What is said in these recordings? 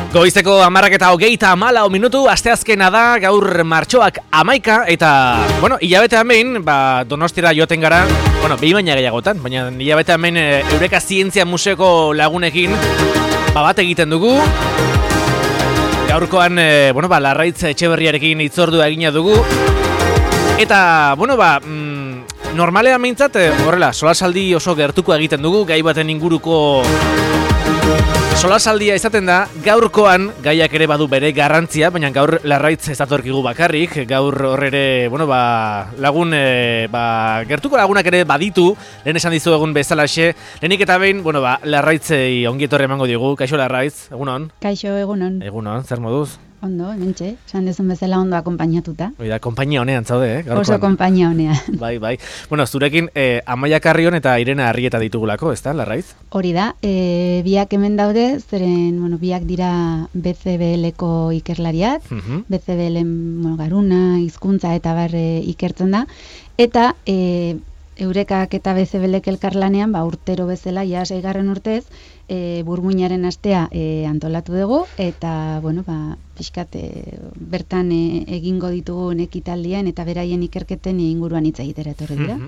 Goizeko 10:24 minutu, asteazkena da, gaur martxoak 11 eta, hilabetean behin, Donostira joaten gara, behin baina gehiagotan, baina hilabetean behin Eureka Zientzia Museoko lagunekin bat egiten dugu. Gaurkoan, Larraitz Etxeberriarekin hitzordua egina dugu. Eta, normalean behintzat, horrela, solasaldi oso gertuko egiten dugu, gai baten inguruko solasaldia izaten da. Gaurkoan gaiak ere badu bere garrantzia, baina gaur Larraitz ez datorkigu bakarrik, gaur horre lagun, gertuko lagunak ere baditu, lehen esan dizu egun bezalaxe, lehenik eta behin, Larraitzei ongietorri emango digu. Kaixo Larraitz, egunon? Kaixo, egunon. Egunon, zer moduz? Ondo, hementxe, esan dezun bezala ondo akompainatuta. Oida, konpainia honean zaude, gaurkoan. Oso konpainia honean. Bai. Zurekin Amaia Carrion eta Irene Arrieta ditugulako, ezta, Larraitz? Hori da, biak hemen daude, zeren, biak dira BCBL-ko ikerlariak, BCBL-en garuna, hizkuntza eta barre ikertzen da, eta Eurekak eta BCBL-ek elkarlanean, urtero bezala, ja 6. urtez, burmuinaren astea antolatu dugu, eta, pixkat, bertan egingo ditugun ekitaldien eta beraien ikerketen inguruan hitz egitera etorri dira.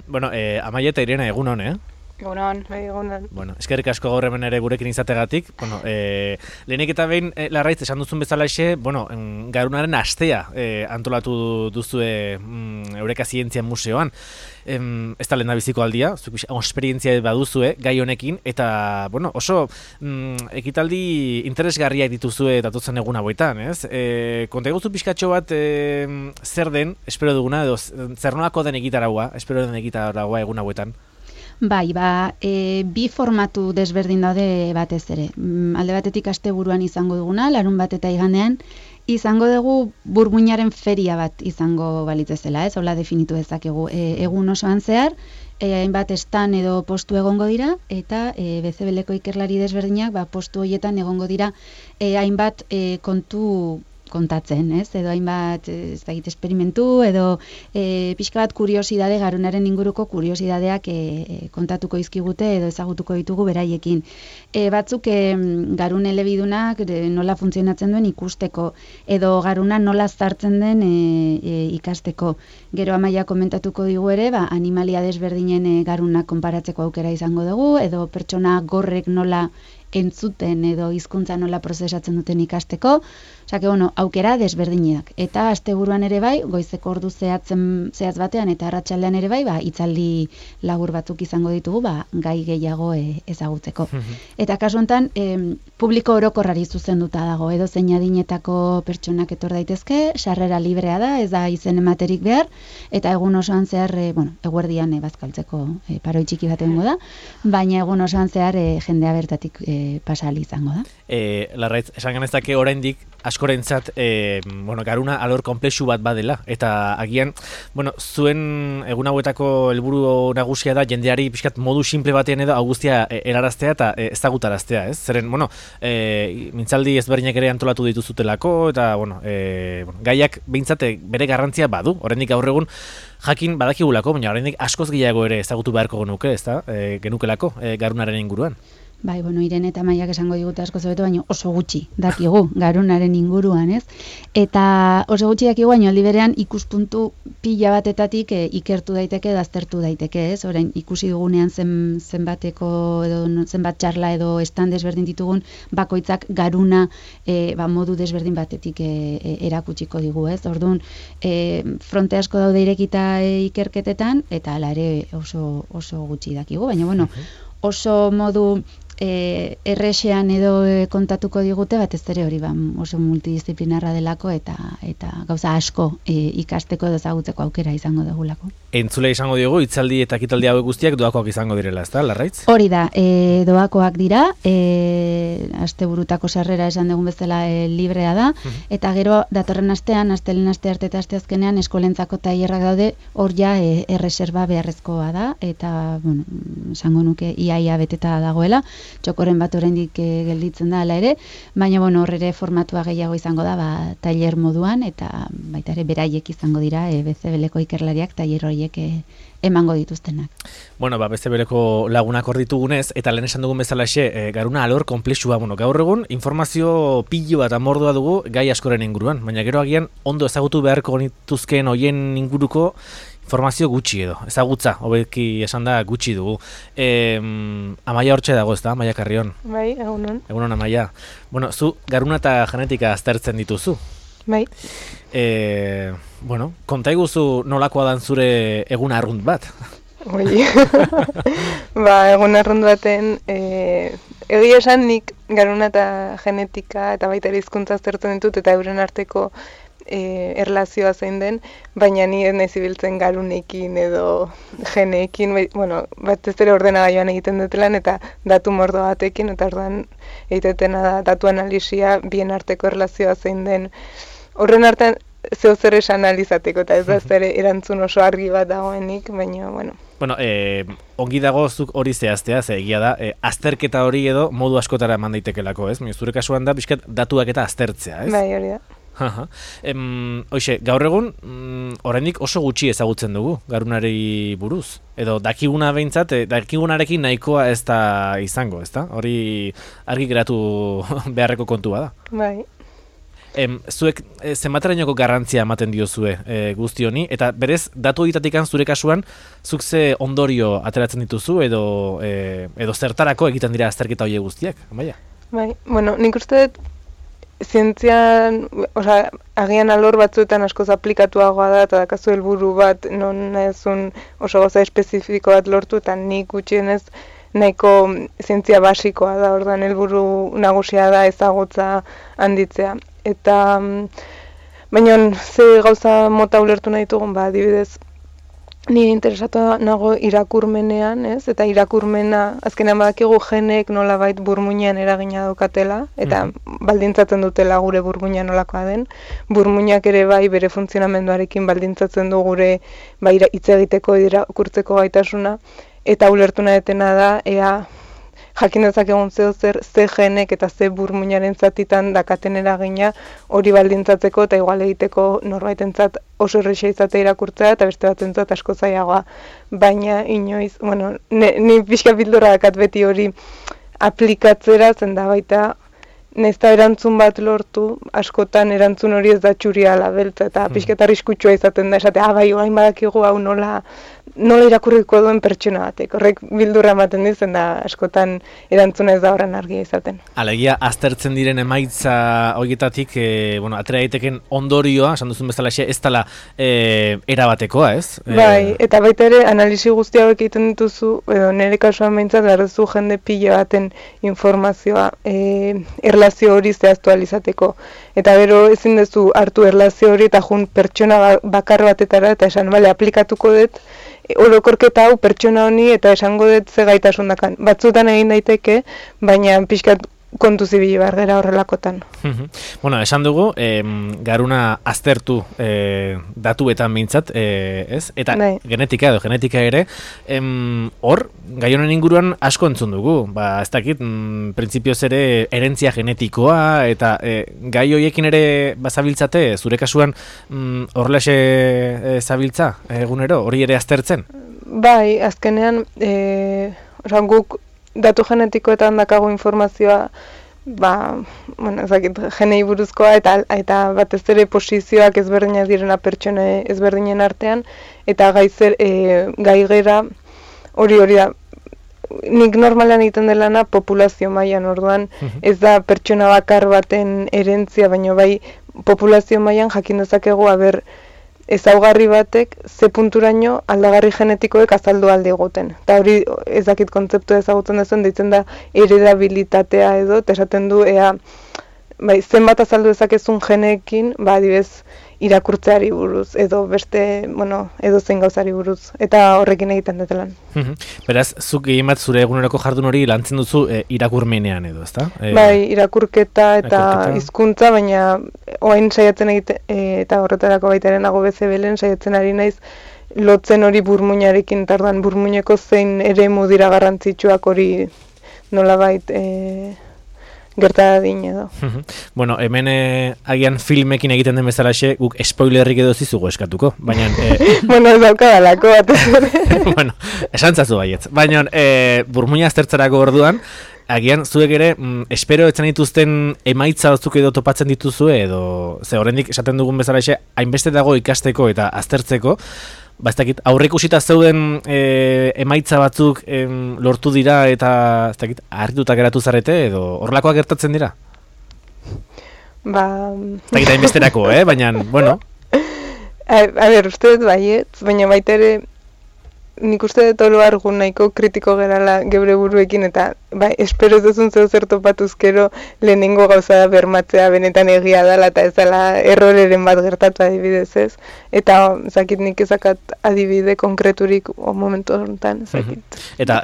Amaia eta Irene, egunon, Egunon, egunon. Eskerrik asko gaur hemen ere gurekin izategatik. Lehenik eta behin, Larraitz, esan duzun bezalaxe, garunaren astea antolatu duzue Eureka Zientzia Museoan. Ez da lehendabiziko aldia, esperientzia baduzue gai honekin, eta oso ekitaldi interesgarriak dituzue datotzen egun hauetan, ez? Konta eguzu pixkatxo bat zer den, espero duguna, edo zer nolako den egitaragoa, espero den egitaragoa egun hauetan? Bai, bi formatu desberdin daude batez ere. Alde batetik asteburuan izango duguna, larun bat eta igandean, izango dugu burmuinaren feria bat izango balitzezela, ez? Hola definitu dezakegu. Egun osoan zehar, hainbat estan edo postu egongo dira, eta BCBL-ko ikerlari desberdinak postu horietan egongo dira hainbat kontu kontatzen, ez? Edo hainbat esperimentu, edo pixka bat kuriosidade, garunaren inguruko kuriosidadeak kontatuko izkigute edo ezagutuko ditugu beraiekin. Batzuk garun elebidunak nola funtzionatzen duen ikusteko, edo garuna nola zartzen den ikasteko. Gero Amaia komentatuko digu ere, animalia desberdinen garunak konparatzeko aukera izango dugu, edo pertsona gorrek nola entzuten edo hizkuntza nola prozesatzen duten ikasteko. Osea, aukera desberdinak. Eta asteburuan ere bai, goizeko ordu zehatz batean eta arratsaldean ere bai, hitzaldi labur batzuk izango ditugu, gai gehiago ezagutzeko. Eta kasu honetan, publiko orokorrari zuzenduta dago, edo zein adinetako pertsonak etor daitezke, sarrera librea da, ez da izen ematerik behar, eta egun osoan zehar, eguerdian bazkaltzeko paroi txiki bat egongo da, baina egun osoan zehar jendea bertatik pasali izango da. Larraitz, esan ganezake oraindik askorentzat garuna alor konplexu bat badela, eta agian zuen egun hauetako helburu nagusia da jendeari pixkat modu simple batean edo augustia helaraztea eta ezagutaraztea, ez? Zeren, mintzaldi ezberdinak ere antolatu dituzutelako, eta gaiak behintzate bere garrantzia badu, oraindik gaur egun jakin badakigulako, baina oraindik askoz gehiago ere ezagutu beharko genuke, ezta? Genukelako garunaren inguruan. Bai, Irene eta Maiak esango digute asko zobeto, baina oso gutxi dakigu garunaren inguruan, ez? Eta oso gutxi dakigu, baina aldi berean ikuspuntu pila batetatik ikertu daiteke, aztertu daiteke, ez? Orain ikusi dugunean zenbateko edo zenbat txarla edo estan desberdin ditugun bakoitzak garuna modu desberdin batetik erakutsiko digu, ez? Orduan, fronte asko daude irekita ikerketetan, eta hala ere oso gutxi dakigu, baina oso modu errexean edo kontatuko digute, batez ere hori oso multidisciplinarra delako eta gauza asko ikasteko edo ezagutzeko aukera izango dugulako. Entzule izango diogu, hitzaldi eta ekitaldi hauek guztiak doakoak izango direla, ezta, Larraitz? Hori da, doakoak dira, asteburutako sarrera esan dugun bezala librea da, eta gero datorren astean, astelehen aste arte eta asteazkenean eskolentzako tailerrak daude, hor ja erreserba beharrezkoa da, eta, esango nuke iaia beteta dagoela, txokoren bat oraindik gelditzen da hala ere, baina bueno, hor ere formatua gehiago izango da, tailer moduan, eta baita ere beraiek izango dira, BCBLko ikerlariak tailer horiek emango dituztenak. Bueno, BCBLko lagunak hor ditugunez, eta lehen esan dugun bezalaxe, garuna alor komplexua, gaur egun informazio pilo bat amordua dugu gai askoren inguruan, baina gero agian ondo ezagutu beharko nituzkeen hoien inguruko informazio gutxi edo, ezagutza, hobeki esan da gutxi dugu. Amaia hortxe dago, ez da, Amaia Carrion? Bai, egunon. Egunon, Amaia. Bueno, zu garuna eta genetika aztertzen dituzu. Bai. Bueno, konta iguzu nolakoa dan zure egun arrunt bat? Oi. Egun arrunt baten, egia esan nik garuna eta genetika eta baita ere hizkuntza aztertzen ditut eta euren arteko erlazioa zein den, baina ni ez naiz ibiltzen garunekin edo geneekin, batez ere ordenagailuan egiten dut lan eta datu mordo batekin, eta orduan egitena da datu analisia bien arteko erlazioa zein den. Horren artean zeo zer esan analizateko, eta ez da zer erantzun oso argi bat dagoenik, baina, bueno. Bueno, ongi dago zuk hori zehaztea, ze egia da, azterketa hori edo modu askotara eman daitekelako, ez? Zure kasuan da, pixkat datuak eta aztertzea, ez? Bai, hori da. Hoxe, gaur egun, oraindik oso gutxi ezagutzen dugu, garunari buruz. Edo dakiguna behintzat, dakigunarekin nahikoa ez da izango, ez da? Hori argi geratu beharreko kontua da. Bai. Zuek zenbaterainoko garrantzia ematen diozue guzti honi, eta berez, datu ditatikan zure kasuan, zuk ze ondorio ateratzen dituzu, edo zertarako egiten dira azterketa horiek guztiak, Amaia? Bai, bueno, nik uste dut, zientzian, agian alor batzuetan askoz aplikatuagoa da, eta dakazu helburu bat, non ezun oso goza espezifiko bat lortu, eta nik gutxienez nahiko zientzia basikoa da, orduan helburu nagusia da ezagutza handitzea. Eta, baina ze gauza mota ulertu nahi dugun, adibidez, ni interesatu nago irakurmenean, ez? Eta irakurmena, azkenean badakigu genek nolabait burmuinean eragina daukatela, eta baldintzatzen dutela gure burmuina nolakoa den. Burmuinak ere bai bere funtzionamenduarekin baldintzatzen du gure hitz egiteko irakurtzeko gaitasuna, eta ulertu nahi detena da, ea jakin dezakegun ze genek eta ze burmuinaren zatitan dakaten eragina hori baldintzatzeko eta igual egiteko norbaitentzat oso erresa izatea irakurtzea eta beste batentzat asko zailagoa. Baina inoiz, ni pixka bildurra dakat beti hori aplikatzera, zen da baita naizta erantzun bat lortu, askotan erantzun hori ez da txuriala beltza eta pixka eta arriskutsua izaten da esatea, bai, orain badakigu hau nola irakurriko duen pertsona batek. Horrek bildurra ematen dizen da askotan erantzuna ez da horren argia izaten. Alegia, aztertzen diren emaitza horietatik, atera daiteken ondorioa, esan duzun bezala ez dela erabatekoa, ez? Bai, eta baita ere, analisi guzti hauek egiten dituzu, nire kasuan behintzat, garduzu jende pila baten informazioa erlazio hori zehaztu alizateko. Eta gero ezin duzu hartu erlazio hori eta jun pertsona bakar batetara eta esan, bale, aplikatuko dut orokorketa hau pertsona honi eta esango dut ze gaitasun dakan. Batzutan egin daiteke, baina pixkat kontu zibili behar gara horrelakotan. Bueno, esan dugu, garuna aztertu datuetan behintzat, ez? Eta genetika ere, hor, gai honen inguruan asko entzun dugu. Ez dakit, printzipioz ere herentzia genetikoa, eta gai horiekin ere bazabiltzate, zure kasuan horrelaxe zabiltza egunero, hori ere aztertzen? Bai, azkenean, guk datu genetikoetan dakago informazioa, genei buruzkoa eta batez ere posizioak ezberdinak direna pertsone ezberdinen artean, eta gai gera hori da. Nik normalan egiten delana populazio mailan, orduan ez da pertsona bakar baten herentzia, baina bai populazio mailan jakin dezakegu ezaugarri batek ze punturaino aldagarri genetikoek azaldu alde egoten. Eta hori ez dakit kontzeptu ezagutzen dezuen, deitzen da heredabilitatea edo, eta esaten du zenbat azaldu dezakezun geneekin, adibidez irakurtzeari buruz, edo beste, edo zein gauzari buruz, eta horrekin egiten dut lan. Beraz, zuk egin bat zure eguneroko jardun hori lantzen duzu irakurmenean edo, ezta? Bai, irakurketa eta hizkuntza, baina oain saiatzen egiten, eta horretarako baitaren nago BCBLen saiatzen ari naiz, lotzen hori burmuinarekin, eta orduan burmuineko zein eremu dira garrantzitsuak hori nolabait gerta dadin edo. Bueno, hemen agian filmekin egiten den bezalaxe, guk spoilerrik edo zizugu eskatuko, baina... Bueno, ez daukadalako batez ere. Bueno, esantzazu baietz. Baina, burmuina aztertzerako orduan, agian zuek ere, espero etzen dituzten emaitza batzuk edo topatzen dituzue, edo, ze horrendik esaten dugun bezalaxe, hainbeste dago ikasteko eta aztertzeko, ba, ez dakit, aurreikusita zeuden emaitza batzuk lortu dira eta ez dakit, harrituta geratu zarete edo horrelakoak gertatzen dira? Ba... Ez dakit hainbesterako, baina, bueno. A ber, uste dut baietz, baina baita ere nik uste dut oro argun nahiko kritiko gerala geure buruekin eta bai, espero ez duzun zer topatuzkero lehenengo gauza da bermatzea benetan egia dela eta ez dela erroreren bat gertatu adibidez ez. Eta zakit nik ezakat adibide konkreturik momentu honetan zakit. Eta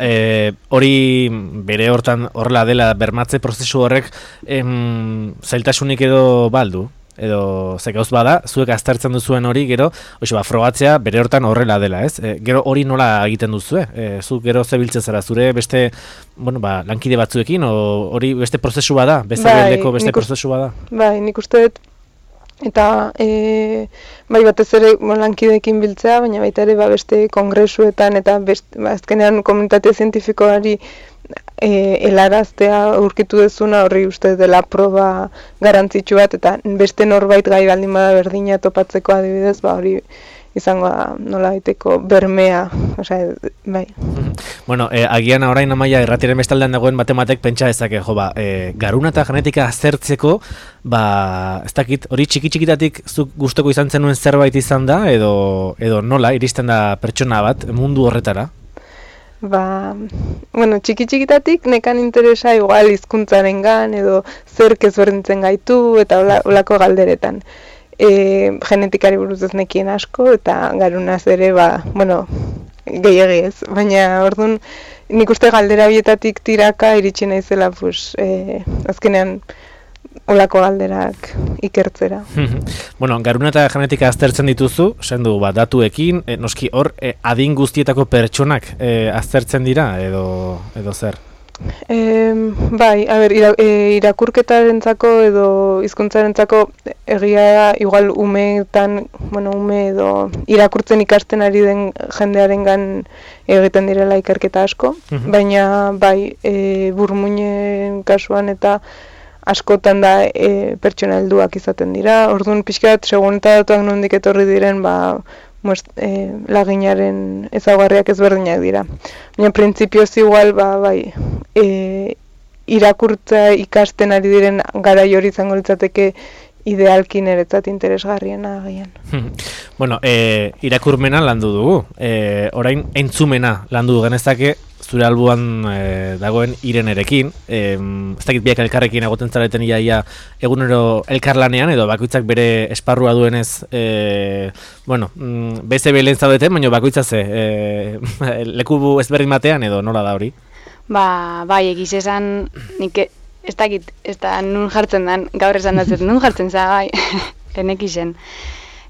hori bere hortan horrela dela bermatze prozesu horrek zailtasunik edo baldu? Edo ze gauz bada, zuek aztertzen duzuen hori gero, frogatzea bere hortan horrela dela, ez? Gero hori nola egiten duzue? Zu gero zebiltzen zara, zure beste, bueno, lankide batzuekin, hori beste prozesu bada? Beste beldeko beste prozesu bada? Bai, nik uste dut, eta bai batez ere lankideekin biltzea, baina baita ere beste kongresuetan eta azkenean komunitate zientifikoari helaraztea aurkitu dezuna horri uste dela proba garantzitsu bat eta beste norbait gai baldin bada berdina topatzeko adibidez, hori izango da nola baiteko bermea, osea, bai. Bueno, agian orain Amaia irratiaren bestaldean dagoen batek pentsa dezake, garuna eta genetika aztertzeko, ez dakit, hori txiki-txikitatik zuk gustoko izan zenuen zerbait izan da, edo nola iristen da pertsona bat mundu horretara? Bueno, txiki-txikitatik nekan interesa igual hizkuntzarengan edo zerk ezberdintzen gaitu eta olako galderetan. Genetikari buruz ez nekien asko eta garunaz ere, bueno, gehiegi ez. Baina, orduan, nik uste galdera bietatik tiraka iritsi naizela, azkenean olako galderak ikertzera. Bueno, garuna eta genetika aztertzen dituzu, esan du, datuekin, noski hor, adin guztietako pertsonak aztertzen dira, edo zer? Bai, a ber, irakurketarentzako edo hizkuntzarentzako egia igual umeetan, ume edo irakurtzen ikasten ari den jendearengan egiten direla ikerketa asko, baina bai, burmuinen kasuan eta askotan da pertsona helduak izaten dira. Orduan pixka bat segun eta datuak nondik etorri diren laginaren ezaugarriak ezberdinak dira. Baina printzipioz igual bai irakurtza ikasten ari diren garai hori izango litzateke idealki niretzat interesgarriena agian. Bueno, irakurmena landu dugu. Orain entzumena landu genezake zure albuan dagoen Irenerekin. Ez dakit biak elkarrekin egoten zareten ia egunero elkarlanean edo bakoitzak bere esparrua duenez BCB lehen zaudeten, baina bakoitza leku ezberdin batean edo nola da hori? Bai, egiz esan nik ez dakit, ez da nun jartzen dan, gaur esan datzet, nun jartzen za, bai, lehenek izen.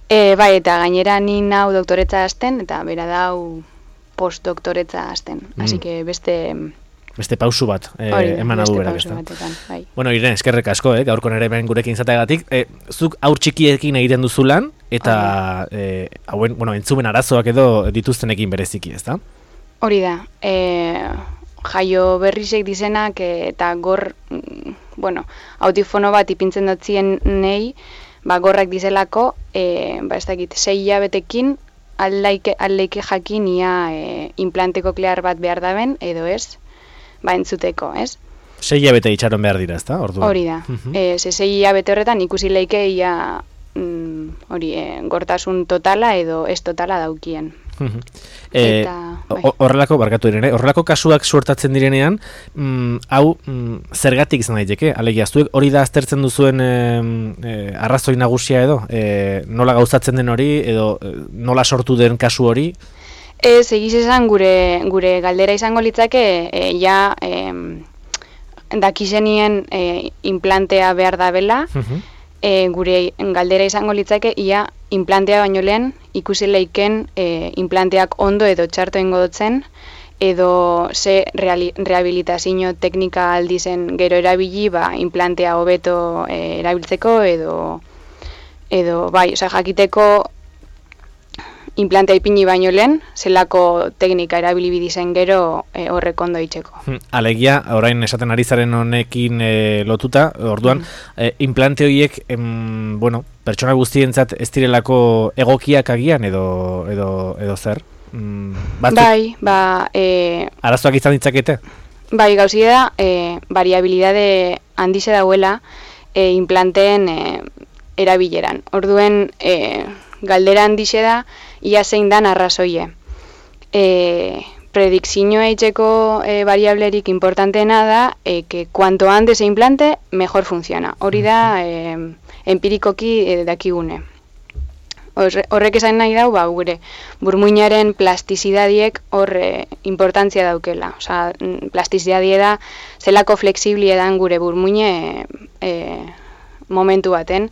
Bai, eta gainera ni nau doktoretza hasten, eta bera dau postdoktoretza hasten. Así que beste pausu bat eman adu berak, ez da. Bai. Bueno, Irene, eskerrek asko, gaurko nere ben gurekin izateagatik. Zuk aur txikiekin egiten duzu lan, eta entzumen arazoak edo dituztenekin bereziki, ez da? Hori da. Jaio berrizek dizenak eta gor, autifono bat ipintzen dutzien nei, gorrak dizelako, ez dakit, 6 hilabetekin aldeike jakin ia implante koklear bat behar daben, edo ez, entzuteko, ez? 6 hilabete itxaron behar dira, ez da? Hori da. 6 hilabete horretan ikusi leike ia gortasun totala edo ez totala daukien. Horrelako kasuak suertatzen direnean, hau zergatik izan daiteke, alegia, zuek hori da aztertzen duzuen arrazoi nagusia edo, nola gauzatzen den hori, edo nola sortu den kasu hori? Ez, egiz esan gure galdera izango litzake, dakizenien implantea behar da bela, gure galdera izango litzake, ia implantea baino lehen ikusi leiken implanteak ondo edo txarto ingo dutzen, edo ze rehabilitazio teknika aldizen gero erabili, implantea hobeto erabiltzeko edo bai, jakiteko implantea ipini baino lehen, zelako teknika erabili bidizen gero horrek ondo itxeko. Alegia, orain esaten ari zaren honekin lotuta, orduan, implante horiek, pertsona guztientzat ez direlako egokiak agian edo zer? Bai, arazoak izan ditzakete? Bai, gauzia da, variabilidade handize dauela implanteen erabileran. Orduen, galdera handize da, ia zein dan arrazoie. Predikzioa eitzeko variablerik importanteena da, que cuanto antes se implante, mejor funciona. Hori da, empirikoki dakigune. Horrek esan nahi dau, gure burmuinaren plastizidadiek importantzia daukela. Osa, plastizidadie da, zelako fleksibli edan gure burmuine momentu baten,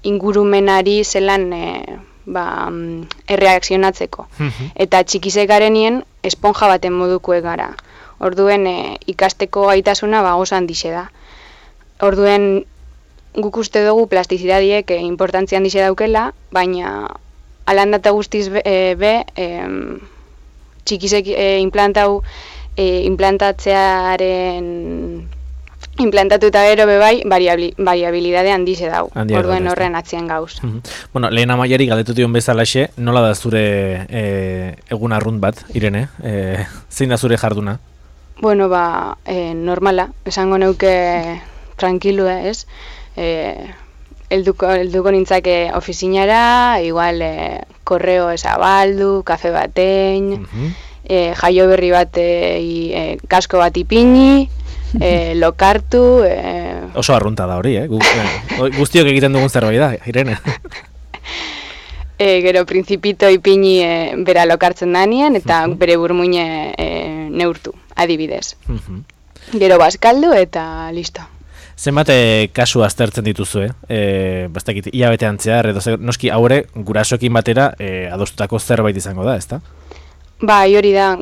ingurumenari zelan erreakzionatzeko. Eta txikizek garenien esponja baten modukoek gara. Orduen ikasteko gaitasuna oso handixe da. Orduen guk uste dugu plastizidadiek importantzia handixe daukela, baina alandata guztiz txikizek implantatu eta gero bebai, variabilidade handize dau, orduen horren atzien gauz. Bueno, lehen amaiari galdetu dion bezalaxe, nola da zure egun arrunt bat, Irene? Zein da zure jarduna? Bueno, normala, esango neuke tranquilu, ez? Elduko nintzake ofizinara, igual korreo ezabaldu, kafe batein, jaio berri bat kasko bat ipini, lokartu... Oso arrunta da hori, guztiok egiten dugun zerbait da, Irene. Gero principito ipini bera lokartzen danien, eta bere burmuine neurtu, adibidez. Gero bazkaldu eta listo. Zenbat kasu aztertzen dituzu, bastakit, hilabetean zehar, edo noski haure gurasoekin batera adostutako zerbait izango da, ezta? Bai, hori da,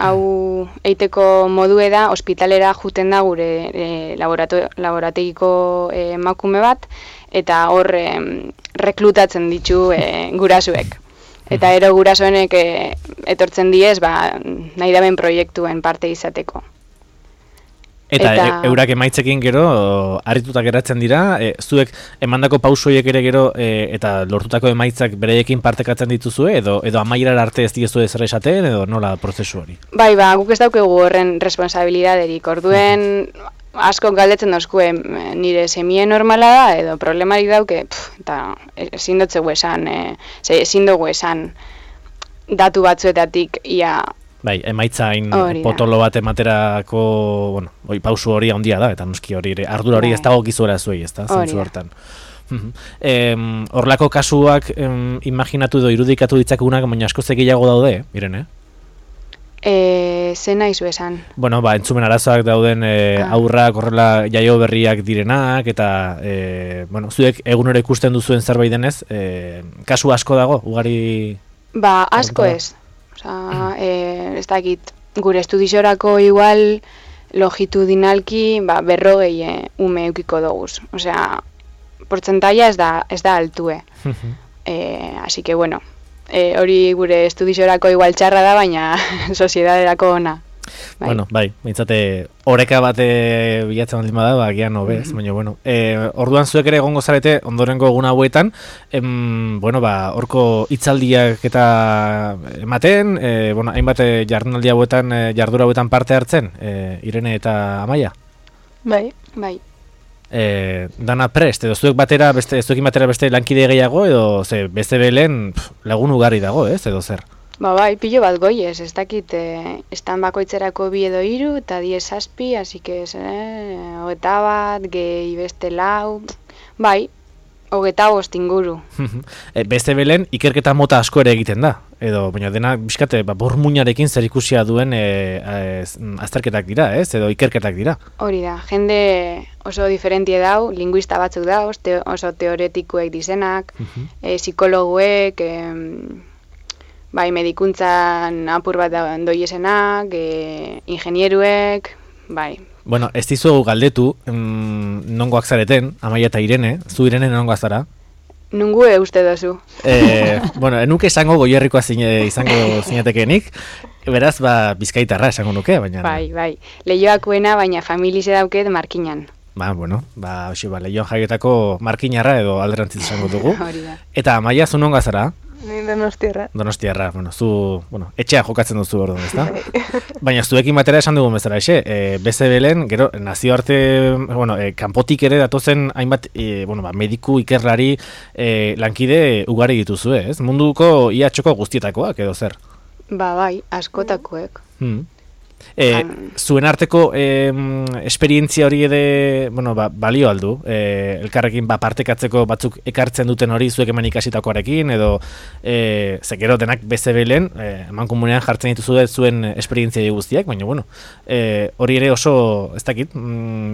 hau eiteko modue da, ospitalera juten da gure laborategiko emakume bat, eta hor reklutatzen ditu gurasoek. Eta ero gurasoenek etortzen diez, nahi daben proiektuen parte izateko. Eta eurak emaitzekin gero, harrituta geratzen dira, zuek emandako pausoiek ere gero eta lortutako emaitzak bereiekin partekatzen dituzue, edo amaierar arte ez diezu ezer esaten, edo nola prozesu hori? Bai, guk ez daukegu horren responsabilidaderik, orduen asko galdetzen dozkue nire semie normala da, edo problemarik dauke, eta ezin dugu esan datu batzuetatik ia... Bai, emaitzain potolo bat ematerako, pausu hori handia da, eta noski hori ardura hori ez dago gizuera zuei, ez da, zentzu hortan. Horlako kasuak imaginatu edo irudikatu ditzakunak, baina asko gehiago daude, Irene? Zen nahi zu esan? Bueno, entzumen arazoak dauden aurrak, horrela jaio berriak direnak, eta, zuek egunero ikusten duzuen zerbait denez, kasu asko dago, ugari... Asko ez. Ez dakit, gure estudizorako igual longitudinalki berrogei ume eukiko doguz. Osea, portzentaia ez da altue. Así que, hori gure estudizorako igual txarra da, baina soziedaderako ona. Bueno, mintzate, oreka bate bilatzen baldin bada, agian hobez, baina, orduan zuek ere egongo zarete, ondorengo egun hauetan, horko hitzaldiak eta ematen, hainbat jardunaldi hauetan, jardura hauetan parte hartzen, Irene eta Amaia? Bai. Dana prest, edo zuekin batera beste lankide gehiago, edo beste belen lagun ugari dago, edo zer? Bai, pilo bat goiez, ez dakit, estan bakoitzerako 2 edo 3, eta 10 zazpi, así que, 21, gehi beste 4, bai, 25 inguru. Beste belen, ikerketa mota asko ere egiten da, edo, baina dena, bizkate, bormuinarekin zer ikusia duen azterketak dira, edo ikerketak dira. Hori da, jende oso diferentie dau, linguista batzuk dau, oso teoretikuek dizenak, psikologuek, bai, medikuntzan apur bat doiesenak, ingenieruek, bai. Bueno, ez dizu galdetu, nongoak zareten, Amaia eta Irene, zu Irene nongoak zara? Nungu uste dozu. Bueno, enuke esango Goierrikoa izango zinatekenik, beraz, Bizkaitarra esango nuke, baina... Bai, Leioakoena, baina familize dauket Markinan. Bueno, Leioan jaiotako Markinarra edo alderantziz esango dugu. Hori da. Eta Amaia, zu nongoa zara? Ni Donostiarra. Donostiarra, zu, etxea jokatzen duzu orduan, ezta? Baina zuekin batera esan dugun bezala, BCBlen, gero, nazioarte, kanpotik ere datozen hainbat, mediku, ikerlari, lankide ugari dituzue, ez? Munduko ia txoko guztietakoak, edo zer? Bai, askotakoek. Zuen arteko esperientzia hori ede, balio aldu, elkarrekin partekatzeko batzuk ekartzen duten hori zuek eman ikasitakoarekin, edo zekero denak BCBlen, mankomunean jartzen dituzu zuen esperientzia guztiak, baina hori ere oso, ez dakit,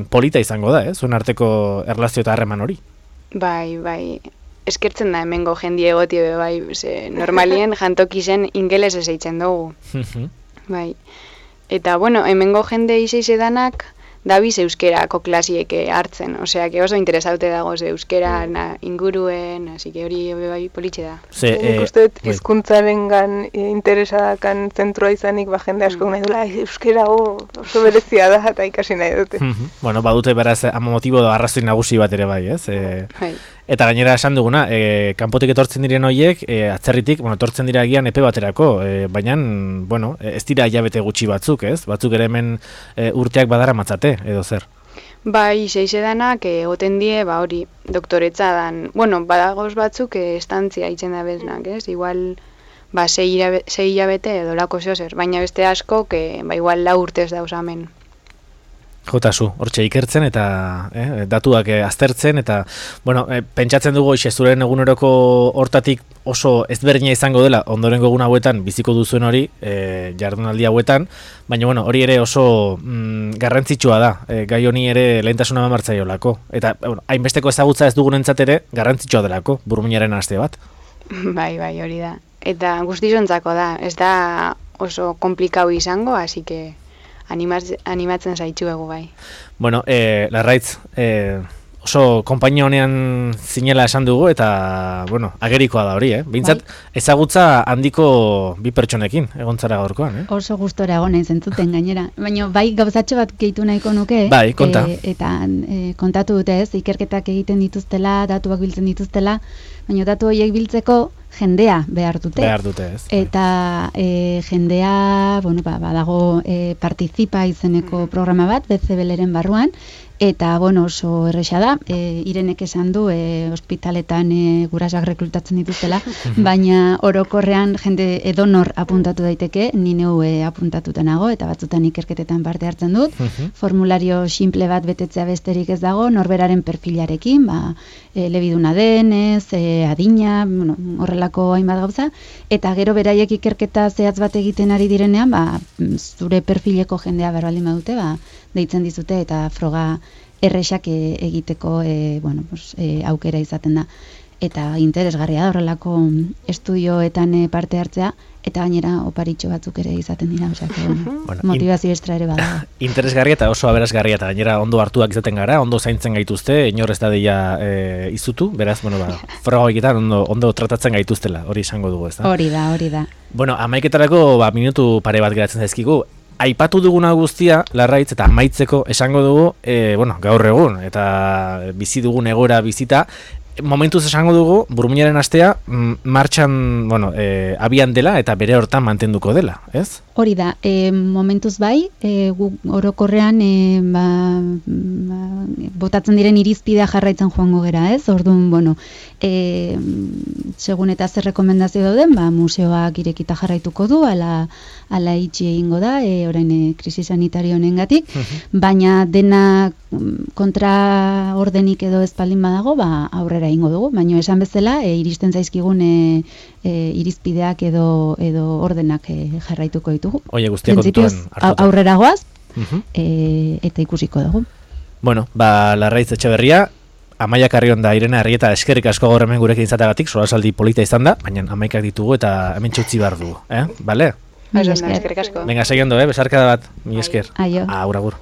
polita izango da, zuen arteko erlazio eta harreman hori. Bai, eskertzen da hemengo jendie egotie, bai, normalien jantoki zen ingeles ez eitzen dugu. Bai. Eta, hemengo jende izeize danak dabiz euskerako klasieke hartzen. Osea, que oso interesaute dagoz euskera inguruen, así que hori bai politxe da. Nik uste hizkuntzaren interesadakan zentroa izanik, jende asko nahi dula, euskera oso berezia da, eta ikasi nahi dute. Badute beraz, motibo da arrazoi nagusi bat ere bai, ez? Eta gainera esan duguna, kanpotik etortzen diren horiek, atzerritik, etortzen dira agian epe baterako, baina, ez dira hilabete gutxi batzuk, ez? Batzuk ere hemen urteak badara matzate, edo zer? Bai, seizedanak, egoten die, hori, doktoretza dan, badagoz batzuk, estantzia itzen da beznak, ez? Igual, 6 hilabete edo lako zozer, baina beste asko, igual 4 urtez dauz amen. Jotazu, hortxe ikertzen eta datuak aztertzen eta, pentsatzen dugu zuren eguneroko hortatik oso ezberdina izango dela ondorengo egun hauetan biziko duzuen hori, jardunaldi hauetan, baina hori ere oso garrantzitsua da, gai honi ere lehentasuna eman eta hainbesteko ezagutza ez dugunentzat ere garrantzitsua delako, burmuinaren aste bat. Bai, hori da. Eta guztizontzako da, ez da oso komplikau izango, hasi que animatzen zaitxuegu bai. Larraitz, oso konpainia honean zinela esan dugu eta, agerikoa da hori, Bintzat, ezagutza handiko bi pertsonekin, egontzara gaurkoan, Oso gustora egon nahi zentzuten gainera. Baina bai gauzatxo bat gehitu nahiko nuke. Bai, konta. Eta kontatu dute ikerketak egiten dituztela, datuak biltzen dituztela, baina datu horiek biltzeko jendea behar dute. Behar dute, ez. Eta jendea, badago Participa izeneko programa bat, BCBleren barruan, eta, oso erresa da, Irenek esan du, ospitaletan gurasoak rekrutatzen dituztela, baina orokorrean jende edonor apuntatu daiteke, ni neu apuntatuta nago, eta batzutan ikerketetan parte hartzen dut, formulario simple bat betetzea besterik ez dago, norberaren perfilarekin, elebiduna denez, adina, horrelako hainbat gauza, eta gero beraiek ikerketa zehatz bat egiten ari direnean, zure perfileko jendea berbaldin badute, deitzen dizute eta froga erresak egiteko aukera izaten da. Eta interesgarria da horrelako estudioetan parte hartzea, eta gainera oparitxo batzuk ere izaten dira, motivazio estra ere bada. Interesgarria eta oso aberazgarria, eta gainera ondo hartuak izaten gara, ondo zaintzen gaituzte, inor ez da deia izutu, beraz, froga egitean ondo tratatzen gaituztela, hori izango dugu, ez da? Hori da. Amaiketarako minutu pare bat geratzen zaizkigu. Aipatu duguna guztia, Larraitz, eta amaitzeko esango dugu, gaur egun, eta bizi dugun egoera bizita, momentuz esango dugu, burmuinaren astea, martxan, abian dela eta bere hortan mantenduko dela, ez? Hori da, momentuz bai, orokorrean botatzen diren irizpidea jarraitzen joango gera, ez? Orduan, segun eta zer rekomendazio dauden, museoak irekita jarraituko du, ala itxi egingo da, orain krisi sanitario honengatik, baina dena kontra ordenik edo espaldin badago, aurrera egingo dugu, baina esan bezala, iristen zaizkigun irizpideak edo ordenak jarraituko ditugu. Oie, guztia kontuan hartuta. Aurrera goaz, eta ikusiko dugu. Larraitz Etxeberria, Amaia Carrionda, Irene Arrieta, eskerrik asko gaur hemen gurekin izateagatik, solasaldi polita izan da, baina amaikak ditugu eta hemen txutzi behar dugu, bale? Mila Eskerrik asko. Venga, seguindo, besarkada bat, mi esker. Aio. Agur, agur.